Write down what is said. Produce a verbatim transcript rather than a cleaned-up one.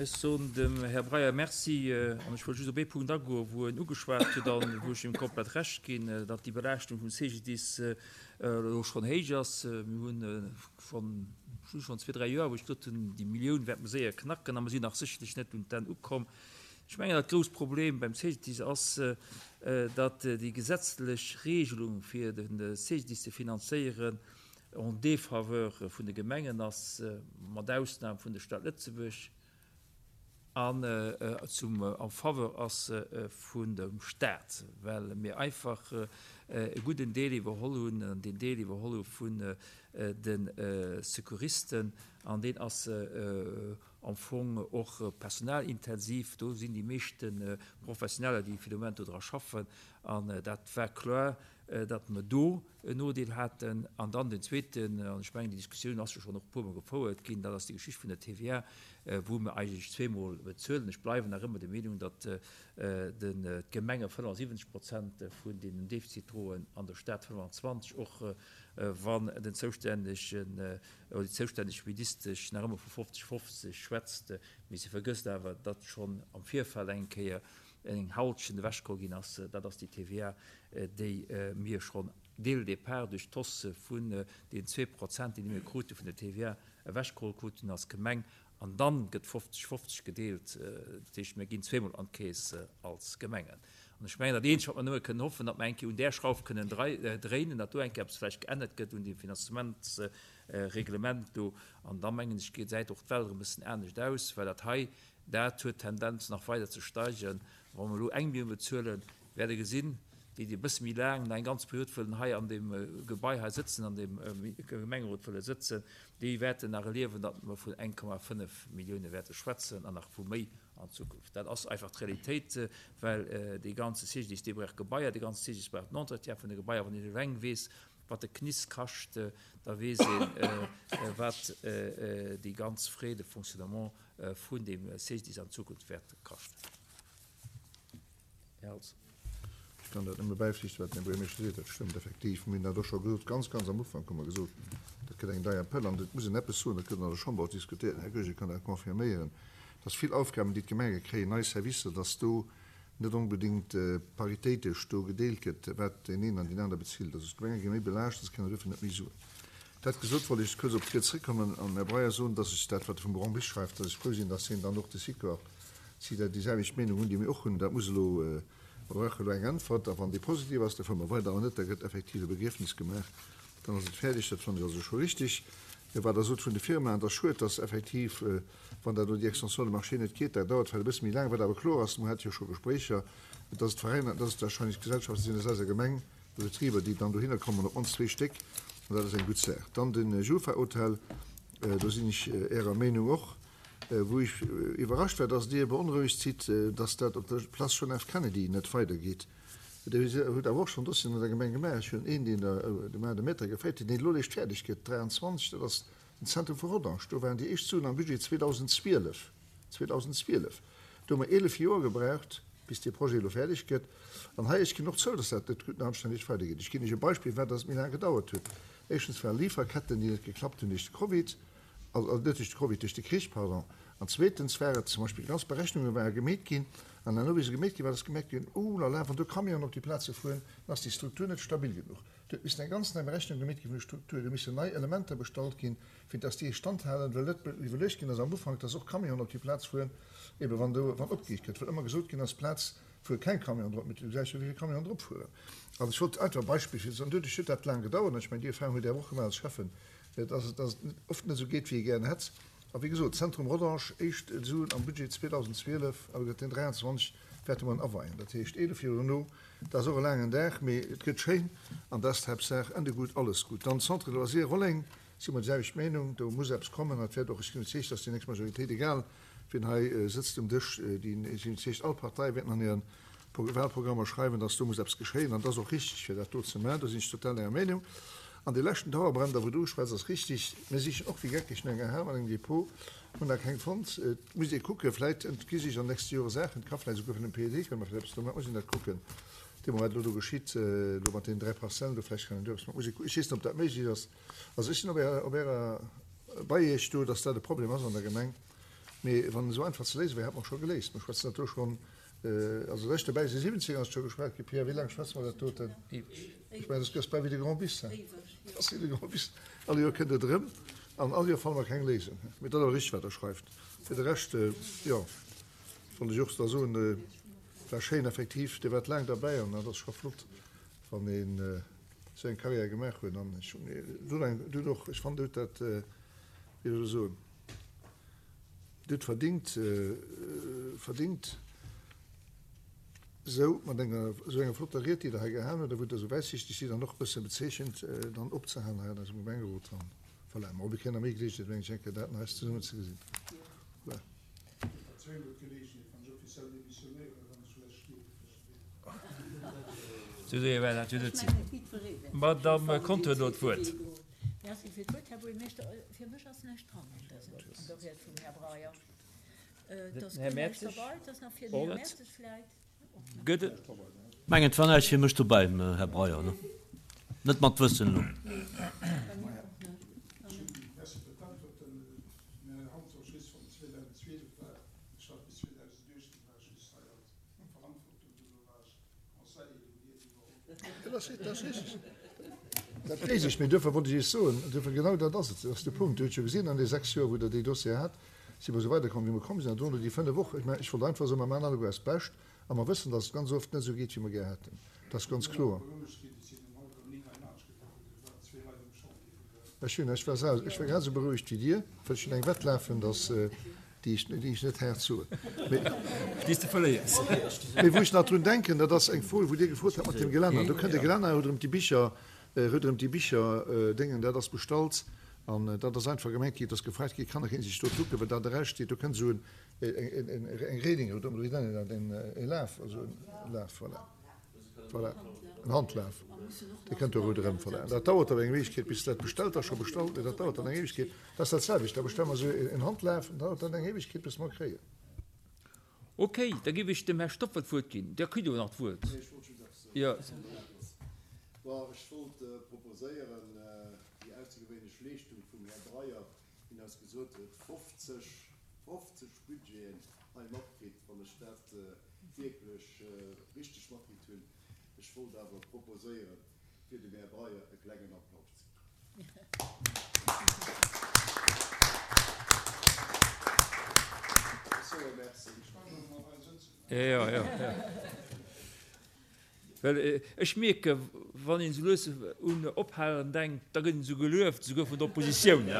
Ech soen dem Här Breyer Merci an ech wëll just op ee Punkt agoen, wou en ugeschwat huet an wou ech him komplett Recht ginn, datt déi Belaaschtung vum C G D I S elo schonn héich ass. Mir hunn schonn schonn zwee, dräi Joer, wou ech gesot hunn, déi Millioun wäerte mer séier knacken, a mer sinn nach sécherlech net un d'Enn ukomm. Ech mengen, dat grousst Problem beim C G D I S ass, datt déi gesetzlech Regelung fir de C G D I S ze finanzéieren en défaveur vun de Gemengen ass, mat Ausnam vun der Stad Lëtzebuerg, an zum en faveur ass vun dem Staat, well mir einfach e gudden Deel iwwerholl hunn, an deen Deel iwwerholl hu vun de Secouristen, an deen ass am Fong och personalintensiv. Do sinn déi meeschte Professioneller, déi fir de Moment do dra schaffen, an dat war kloer, datt mer do en Nodeel haten. An dann den zweeten, an ech mengen, déi Diskussioun ass jo schonn och e puermol gefouert ginn, dat ass déi Geschicht vun der T V A, wou mer eigentlech zweemol bezuelen. Ech bleiwen nach ëmmer der Meenung, datt d'Gemenge fënnefensiwwenzeg Prozent vun deem Defizit droen an der Stad fënnefenzwanzeg, och wann den zoustännegen oder déi zoustänneg Ministesch nach ëmmer vu fofzeg fofzeg schwätzt, mee si vergësst awer, datt schonn am Virfeld eng Kéier eng Halschent ewechgeholl ginn ass. Dat ass déi T V A, déi mir schonn dès le départ duerch d'Hausse vun den zwee Prozent, déi mir krute vun der T V A, ewechgeholl kruten als Gemeng, an dann gëtt fofzeg fofzeg gedeelt. Dat heescht, mir ginn zweemol an d'Keess als Gemengen. An ech mengen, dat Eenzegt, wat mer nëmme kënnen hoffen, datt mer eng Kéier un där Schrauf kënnen dréinen, datt do eng Kéier eppes vläicht geännert gëtt un deem Finanzementsreglement do, an da mengen ech, gesäit och d'Welt erëm e bëssen anescht aus, well dat hei, dat huet d'Tendenz nach weider ze steigen. Wa mer elo eng Millioun bezuelen, wäert Der gesinn, déi, déi e bësse méi laang, nach eng ganz Period wëllen hei an deem Gebai hei sëtzen, an deem Gemengerot wëlle sëtzen, déi wäerten nach erliewen, datt mer vun eng Komma fënnef Millioune wäerte schwätzen an nach vu méi an Zukunft. Dat ass einfach d'Realitéit, well dee ganze C G D I S, dee brauch Gebaier, dee ganze C G D I S brauch den Entretien vun de Gebaier. Wann een eleng weess, wat de C N I S kascht, da weess een, wat déi ganz Frais de fonctionnement vun deem C G D I S an Zukunft wäert kaschten. Här Holtz. Ech kann dat nëmme bäiflichten, wat den Här Buergermeeschter seet. Dat stëmmt effektiv. Mir hunn dat och scho gesot, ganz, ganz am Ufank hu mer gesot, dat gëtt eng deier Pëll. An et muss een eppes soen, dat gëtt an der Chamber och diskutéiert, den Här Goergen kann dat confirméieren, dass vill Aufgaben, déi d'Gemenge kréien, nei Servicer, dass do net onbedéngt paritéitesch do gedeelt gëtt, wat deen een an deen aner bezilt. Also d'Gemenge gi méi belaascht, se kréien dofir net méi Suen. Dat gesot, wollt ech kuerz op d'Ried zréckkommen an Här Breyer soen, dass ech dat, wat e vum Grand beschreift, dass ech frou sinn, dass hien dann och de Sikor, si dat déi selwecht Meenung hunn, déi mir och hunn. Dat muss elo, mer brauche elo eng Äntwert, a wann déi positiv ass, da fuere mer weider, an net, da gëtt effektiv e Begriefnis gemaach, dann ass et fäerdeg. Dat fannen ech also scho richtig. Wat Der sot vun de Firmaen, dat ass schued, dass effektiv, wann dat elo déi Extension de marché net geet, dat dauert vläicht e bësse méi laang. Wat awer kloer ass, mer hate jo scho Gespréicher, dass et Veräiner, dass et wahrscheinlech Gesellschaften sinn aus eiser Gemeng, Betriber, déi dann dohinner kommen, op d'mannst zwee Stéck, an dat ass eng gutt Saach. Dann de Jufa-Hotel, do sinn ech Ärer Meenung och. Wou ech iwwerrascht war, dass Dir beonrouegt sidd, dass dat op der Place John F. Kennedy net weidergeet. Dir hutt awer och schonn Dossieren an der Gemeng gemaach. Ech hunn een, deen der de Main de Maître geféiert huet, deen elo eréischt fäerdeg gëtt, dräianzwanzeg, dat ass den Zentrum vu Rodange. Do waren déi éischt Suen am Budget zweedausenzwielef. zweedausenzwielef. Do hu mer eelef Joer gebraucht, bis dee Projet elo fäerdeg gëtt. An hei, ech ginn och zou, dass dat net gutt an anstänneg weidergeet. Ech ginn Iech e Beispill, wat dass et méi laang gedauert huet. Éischtens waren Lieferketten, déi net geklappt hunn duerch de Covid, also net duerch de Covid, duerch de Krich, pardon. An zweetens war et zum Beispill, ganz Berechnunge ware gemeet ginn, an herno, wéi se gemeet gi waren, ass gemerkt ginn, oh la la, wann do Camionen op déi Plaze fueren, dann ass déi Struktur net stabil genuch. Do huet missen eng ganz nei Berechnung gemeet gi vun der Struktur, do missen nei Elementer bestallt ginn, fir dass déi Stand halen, well net iwwerluecht ginn ass am Ufank, dass och Camionen op déi Plaz fueren, ebe wann do wann opgeheegt gëtt, well ëmmer gesot ginn ass, d'Plaz fuere keng Camion drop, mee du gesäis jo, wéi vill Camionen drop fueren. Also ech wollt einfach e Beispill fir an doduerch huet dat laang gedauert, an ech mengen, déi Erfahrung hutt Dir awer och gemaach als Schäffen, dass et dass et oft net esou geet, wéi ee gären hätt. A wéi gesot, Zentrum Rodange, éischt Suen am Budget zweedausenzwielef, awer gëtt den dräianzwanzeg wäerte mer en aweien. Dat heescht eelef Joer dono. Dat ass och e laangen Dag, mee et gëtt schéin an dat ass d'Haaptsaach. Ende gut, alles gut. Dann Centre de loisirs Rolleng, si mer déi selwecht Meenung, do muss eppes kommen. An et wäert och, ech sinn iwwerzeegt, dass déi nächst Majoritéit, egal wien hei sëtzt um Dësch, déi, ech sinn iwwerzeegt, all Partei wäerten an hiren Wahlprogrammer schreiwen, dass do muss eppes geschéien. An dat ass och richtig, fir dat do ze maachen. Do sinn ech total Ärer Meenung. An dee leschten Dauerbrenner, wou du uschwätz, ass richtig. Mir sichen och wéi geckeg no enger Hal mat engem Depot, hunn nach keng fonnt. Et muss ee kucken, vläit entgi sech an nächste Jore Saachen. Et ka vläit esouguer vun dem P E D kënne mer vläit eppes do maachen. Muss een dat kucken, dee Moment, wat elo do geschitt, elo mat deenen dräi Parzellen do, vläicht kann een do eppes maachen. Muss ee kucken. Ech weess net, ob dat méiglech ass. Also ech sinn op Ärer, op Ärer, bei Iech do, dass dat e Problem ass an der Gemeng. Mee wann en esou einfach ze léise wär, hätt mer scho geléist. Mer schwätzen dat do schonn, also seit ech dobäi sinn, siwwenzéng ass scho geschwat ginn. Pierre, wéi laang schwätze mer dat doten? Ech mengen, dat ass bal wéi de Grand Bis, hein? Dat ass wéi de Grand Bis. All Joer kënnt et erëm an all Joer fanne mer keng Léisung. Mee dat ass awer richteg, wat Der schreift. Fir de Rescht, jo, wollt ech och da soen, war schéin effektiv. Dir waart laang derbäi an dat ass scho flott, wann een esou eng Carrière gemaach huet. An ech hunn, du eng, du och, ech fannen, du hutt dat, wéi soll ech soen, Dir hutt verdingt, verdingt, esou mat enger esou enger flotter Ried, déi Der hei gehalen hutt a wou Der esou wäitsichteg sidd an och e bësse bezeechent, dann opzehalen hei an eisem Gemengerot. An voilà, mä mir kréien nach méi Geleegenheet, mengen ech, eng Kéier dat eis zesummen ze gesinn. Voilà. Madame Conter huet elo d'Wuert. Merci fir d'Wuert, Här Buergermeeschter. Fir mech ass näischt dran an dësem, an der Ried vum Här Breyer. Et ass guer näischt derbei. Et ass nach fir den Här Mertzig vläit. Gëtt et. Mengen, et war näischt fir mech dobäi, Här Breyer, ne? Net mat Wëssen elo. Merci fir d'Äntwerten. Mä Hans och just vun zweedausendzwielef war ech hat bis zweedausenduechtzehn war ech just hei als Verantwortung, duerno war ech Conseiller, do hutt Dir iwwerholl. Dat ass richtig. Dat weess ech, mee duerfir wollt ech Iech soen, duerfir genau dat ass et, dat ass de Punkt. Dir hutt jo gesinn, an deene sechs Joer, wou Der déi Dossiere hat, si mer esou weiderkomm, wéi mer komm sinn, an dono déi fënnef och. Ech mengen, ech wollt einfach soen, mer maachen alleguer eist Bescht a mer wëssen, dass et ganz oft net esou geet, wéi mer gär hätten. Dat ass ganz kloer. Ech hunn, ech war sel, ech war grad esou berouegt wéi Dir, well ech hunn eng Wett lafen, dass, déi ech, déi ech net haart soen. Mee, Déi s de verléiers. Mee wou ech nach drun denken, dat ass eng Fro, wou Dir gefrot hat mat dem Gelänner. Do kënnt e Gelänner, huet erëm déi Bicher, huet erëm déi Bicher Déngen, dat ass bestallt an dat ass einfach gemengt ginn, et ass gefragt ginn, kann nach een sech do kucken, well dat eraussteet, do kënnt esou en, eng, eng Reding, oder wéi nennt een dat, en, e Laf, also en Laf, voilà. Voilà, en Handlaf, dee kënnt do erëm. Voilà, dat dauert awer eng Ewegkeet, bis dat bestellt ass, scho bestallt, mee dat dauert dann eng Ewegkeet. Dat ass dat selwecht, da bestelle mer esou en Handlaf, an dauert dat eng Ewegkeet, bis mer e kréien. Okay, da géif ech dem Här Stoffel d'Wuert ginn. Der kritt elo nach d'Wuert. Nee, ech wollt just eppes soen. Jo. Bon, ech wollt proposéieren, déi aussergewéinlech Leeschtung vum Här Breyer, deen eis gesot huet, fofzeg, fofzeg Budgeten hei matkritt, wann ech dat wierklech richteg matkritt hunn. Ech wollt awer proposéieren, fir dem Här Breyer e klengen Applaus ze ginn. Ech soe Merci. Jo, jo, jo. Well ech mierken, wann een esou lues un Ophalen denkt, da gëtt een esou gelueft, esouguer vun der Oppositioun.